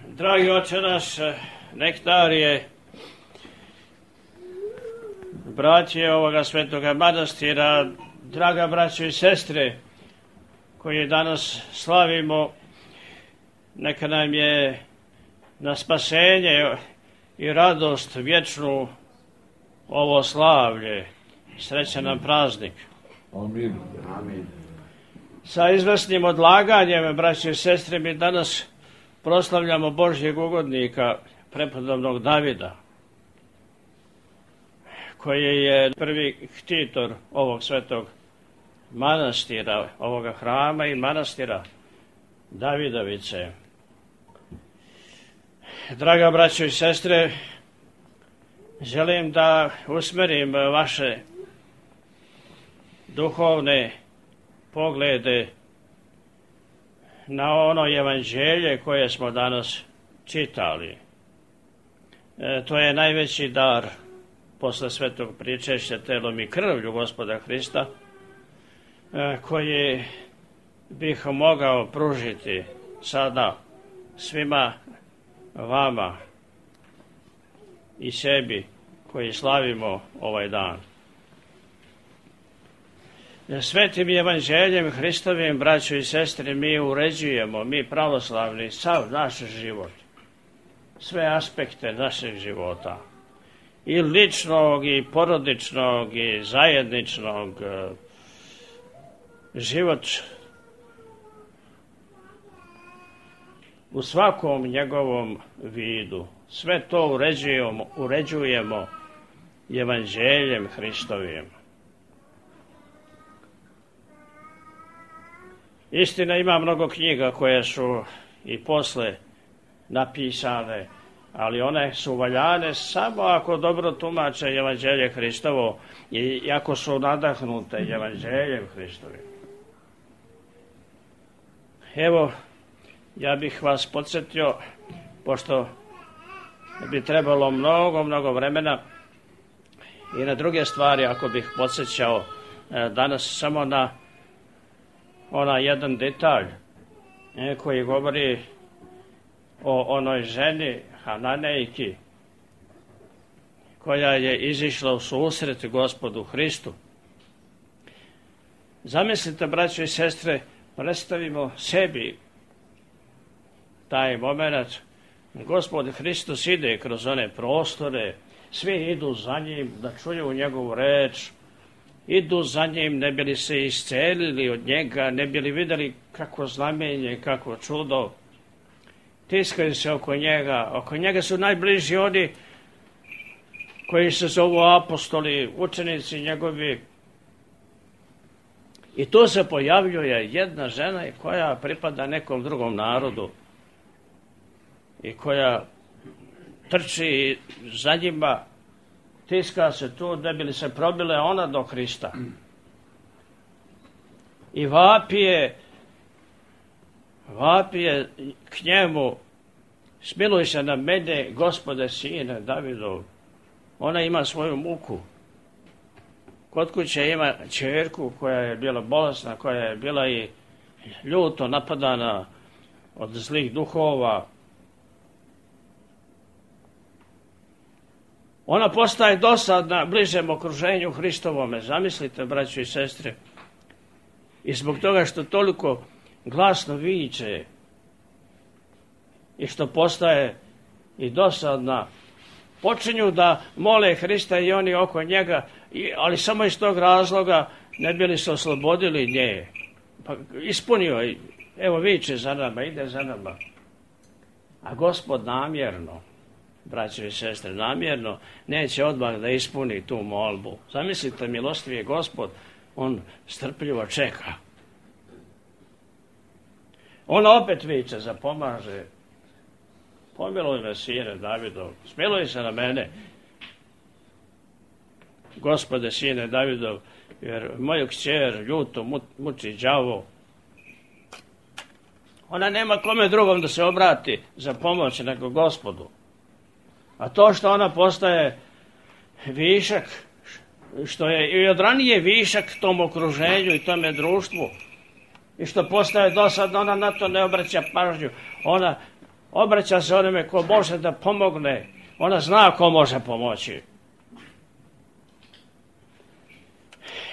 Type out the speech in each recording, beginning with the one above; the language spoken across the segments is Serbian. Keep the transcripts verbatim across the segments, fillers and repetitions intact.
Dragi oče naš, nektarije, braće ovoga svetoga manastira, draga braćo i sestre, koje danas slavimo, neka nam je na spasenje i radost vječnu ovo slavlje. Srećan nam praznik. Amin. Amin. Sa izvrsnim odlaganjem, braće i sestre, mi danas proslavljamo Božjeg ugodnika, prepodobnog Davida, koji je prvi ktitor ovog svetog manastira, ovoga hrama i manastira Davidovice. Draga braćo i sestre, želim da usmerim vaše duhovne poglede na ono evanđelje koje smo danas čitali. E, to je najveći dar posle svetog pričešća telom i krvlju Gospoda Hrista, e, koji bih mogao pružiti sada svima vama i sebi koji slavimo ovaj dan. Svetim evanđeljem Hristovim, braćo i sestre, mi uređujemo, mi pravoslavni, sav naš život, sve aspekte našeg života, i ličnog, i porodičnog, i zajedničnog, život u svakom njegovom vidu. Sve to uređujemo, uređujemo evanđeljem Hristovim. Istina, ima mnogo knjiga koje su i posle napisane, ali one su valjane samo ako dobro tumače evanđelje Hristovo i ako su nadahnute evanđeljem Hristovim. Evo, ja bih vas podsjetio, pošto bi trebalo mnogo, mnogo vremena i na druge stvari, ako bih podsjećao danas samo na onaj jedan detalj koji govori o onoj ženi Hananejki koja je izišla u susret Gospodu Hristu. Zamislite, braćo i sestre, predstavimo sebi taj moment. Gospod Hristos ide kroz one prostore, svi idu za njim da čuju njegovu reč, idu za njim ne bi li se iscelili od njega, ne bi li vidjeli kako znamenje, kako čudo. Tiskaju se oko njega, oko njega su najbliži oni koji se zovu apostoli, učenici njegovi. I tu se pojavljuje jedna žena koja pripada nekom drugom narodu i koja trči za njima, tiska se tu da bi li se probile ona do Hrista. I vapije, vapije k njemu, smiluj se na mene, Gospode, sine Davidov. Ona ima svoju muku. Kod kuće ima ćerku koja je bila bolesna, koja je bila i ljuto napadana od zlih duhova. Ona postaje dosadna bližem okruženju Hristovome. Zamislite, braćo i sestre. I zbog toga što toliko glasno viče i što postaje i dosadna, počinju da mole Hrista i oni oko njega, ali samo iz tog razloga ne bili se oslobodili nje. Pa ispunio, evo viče za nama, ide za nama. A Gospod namjerno, braćo i sestre, namjerno neće odmah da ispuni tu molbu. Zamislite, milostivi je Gospod, on strpljivo čeka. On opet viče, zapomaže. Pomiluj me, sine Davidov, smiluj se na mene, Gospode, sine Davidov, jer moju kćer ljuto muči đavo. Ona nema kome drugom da se obrati za pomoć nego Gospodu. A to što ona postaje višak, što je i od ranije višak tom okruženju i tome društvu, i što postaje dosadno, ona na to ne obraća pažnju. Ona Obraća se onome ko može da pomogne. Ona zna ko može pomoći.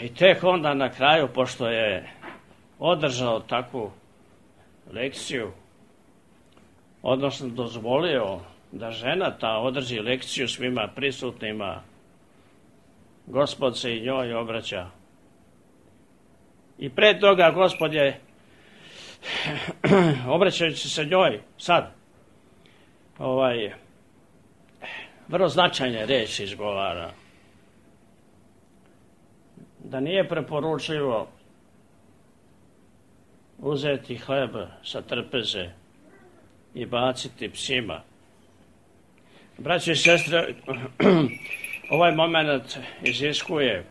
I tek onda na kraju, pošto je održao takvu lekciju, odnosno dozvolio da žena ta održi lekciju svima prisutnima, Gospod se i njoj obraća. I pre toga Gospod je, obraćajući se njoj sad, ovaj, vrlo značajne reči izgovara. Da nije preporučljivo uzeti hleb sa trpeze i baciti psima. Braći i sestre, ovaj moment iziskuje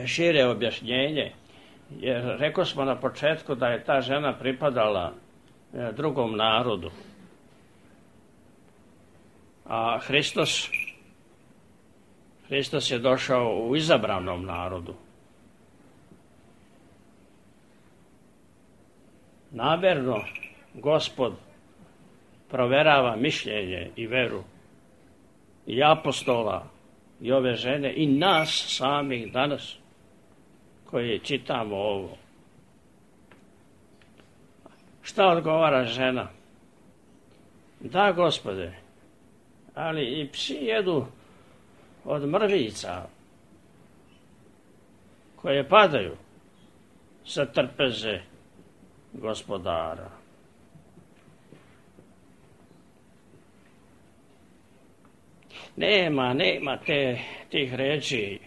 šire objašnjenje, jer rekao smo na početku da je ta žena pripadala drugom narodu. A Hristos, Hristos je došao u izabranom narodu. Namerno Gospod proverava mišljenje i veru i apostola i ove žene i nas samih danas koji čitamo ovo. Šta odgovara žena? Da, Gospode, ali i psi jedu od mrvica koje padaju sa trpeze Gospodara. Nema, nema te, tih reči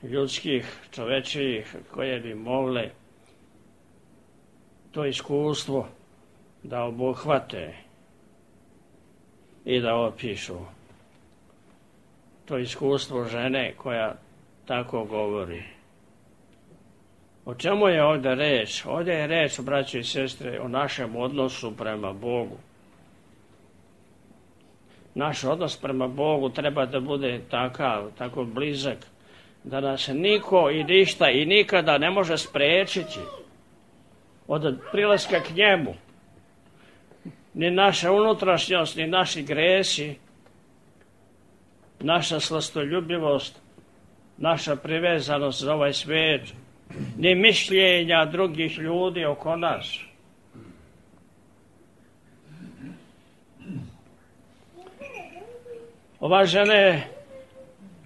ljudskih, čovečijih koje bi mogle to iskustvo da obuhvate i da opišu. To iskustvo žene koja tako govori. O čemu je ovdje reč? Ovdje je reč, braći i sestre, o našem odnosu prema Bogu. Naš odnos prema Bogu treba da bude takav, tako blizak, da nas niko i ništa i nikada ne može spriječiti od prilaska k njemu. Ni naša unutrašnjost, ni naši gresi, naša slastoljubivost, naša privezanost za ovaj svijet, ni mišljenja drugih ljudi oko nas. Ova žena je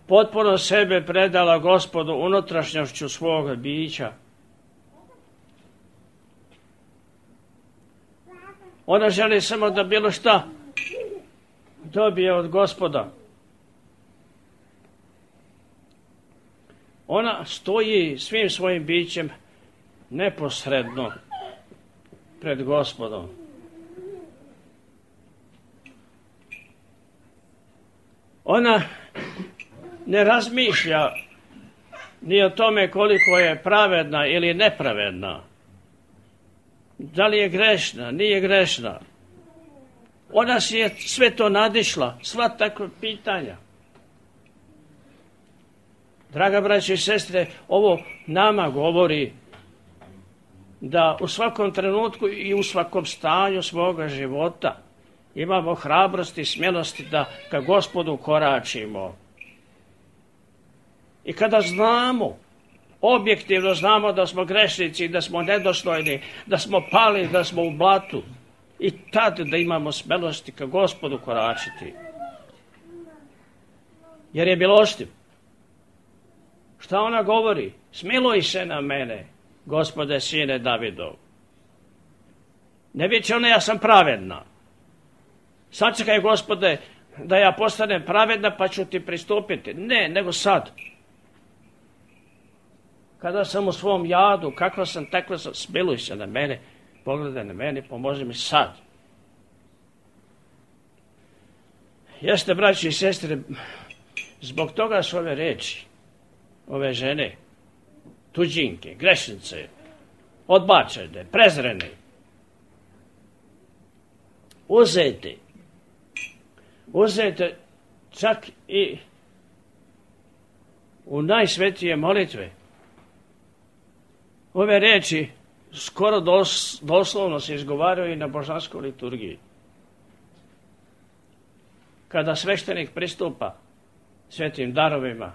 potpuno sebe predala Gospodu unutrašnjošću svoga bića. Ona želi samo da bilo šta dobije od Gospoda. Ona stoji svim svojim bićem neposredno pred Gospodom. Ona ne razmišlja ni o tome koliko je pravedna ili nepravedna. Da li je grešna, nije grešna. Ona si je sve to nadišla, sva takva pitanja. Draga braće i sestre, ovo nama govori da u svakom trenutku i u svakom stanju svoga života imamo hrabrosti i smjelosti da ka Gospodu koračimo. I kada znamo, objektivno znamo da smo grešnici, da smo nedostojni, da smo pali, da smo u blatu, i tad da imamo smjelosti ka Gospodu koračiti. Jer je milostiv. Šta ona govori? Smiluj se na mene, Gospode, sine Davidov. Ne viče ona, ja sam pravedna. Sačekaj, Gospode, da ja postanem pravedna pa ću ti pristupiti. Ne, nego sad. Kada sam u svom jadu, kakva sam, takva sam, smiluj se na mene, pogledaj na mene, pomozi mi sad. Jeste, braći i sestre, zbog toga su ove reči, ove žene, tuđinke, grešnice, odbačene, prezrene, uzete, uzete čak i u najsvetije molitve. Ove reči skoro dos, doslovno se izgovaraju i na božanskoj liturgiji. Kada sveštenik pristupa svetim darovima,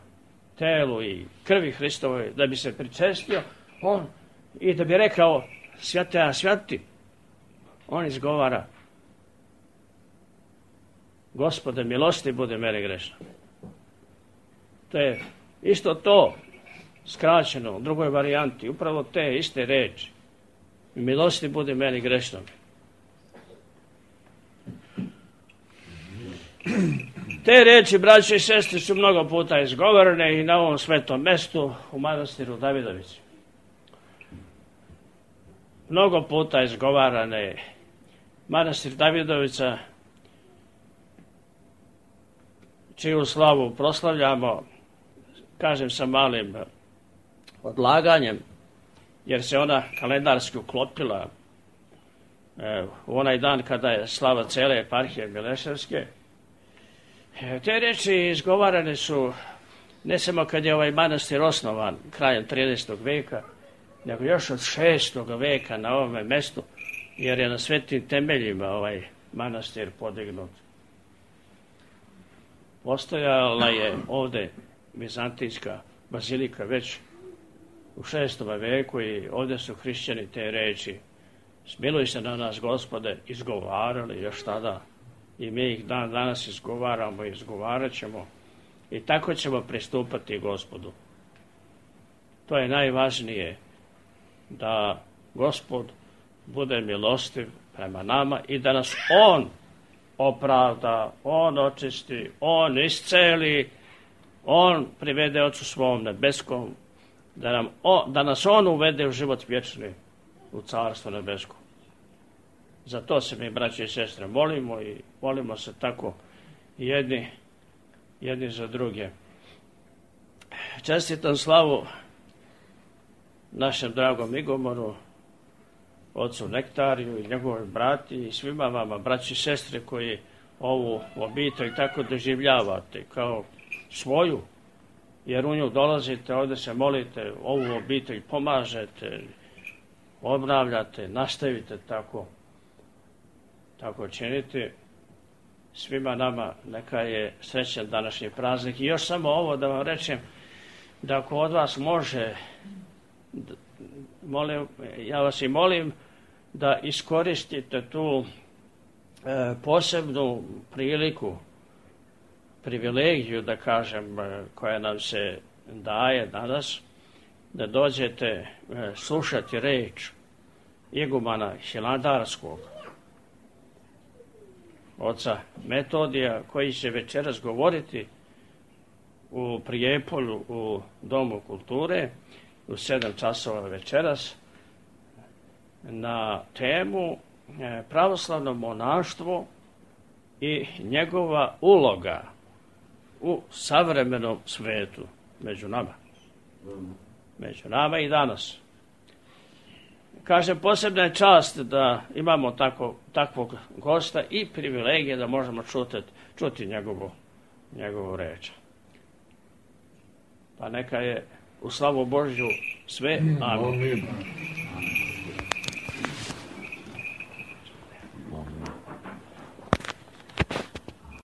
telu i krvi Hristovoj, da bi se pričestio, on i da bi rekao svete a sveti, on izgovara: Gospode milosti budi meni grešno. To je isto to skraćeno u drugoj varijanti, upravo te iste reči: milosti budi meni grešno. Te reči, braće i sestre, su mnogo puta izgovorene i na ovom svetom mestu u manastiru Davidovici. Mnogo puta izgovarane. Manastir Davidovica, čiju slavu proslavljamo, kažem sa malim odlaganjem, jer se ona kalendarski uklopila e, u onaj dan kada je slava cele eparhije Mileševske. E, te reči izgovarane su ne samo kad je ovaj manastir osnovan krajem trinaestog veka, nego još od šestog veka na ovome mestu, jer je na svetim temeljima ovaj manastir podignut. Postojala je ovde Bizantijska bazilika već u šestom veku i ovde su hrišćani te reči smiluj se na nas, Gospode, izgovarali još tada i mi ih dan danas izgovaramo i izgovarat ćemo i tako ćemo pristupati Gospodu. To je najvažnije, da Gospod bude milostiv prema nama i da nas On opravda, On očisti, On isceli, On privede Ocu svom nebeskom, da, nam o, da nas On uvede u život vječni, u carstvo nebesko. Za to se mi, braće i sestre, molimo i molimo se tako jedni, jedni za druge. Čestitam slavu našem dragom Igomoru, ocu Nektariju i njegovoj brati i svima vama, braći i sestre, koji ovu obitelj tako doživljavate kao svoju, jer u nju dolazite, ovdje se molite, ovu obitelj pomažete, obnavljate, nastavite tako, tako činiti. Svima nama neka je srećan današnji praznik. I još samo ovo da vam rečem, da ako od vas može, molim, ja vas i molim da iskoristite tu e, posebnu priliku, privilegiju, da kažem, e, koja nam se daje danas, da dođete e, slušati reč igumana Hilandarskog, oca Metodija, koji će večeras govoriti u Prijepolju u Domu kulture u sedam časova večeras na temu pravoslavno monaštvo i njegova uloga u savremenom svetu među nama. Među nama i danas. Kažem, posebna je čast da imamo tako, takvog gosta i privilegije da možemo čuti, čuti njegovu, njegovu reč. Pa neka je u slavu Božju sve. Amin.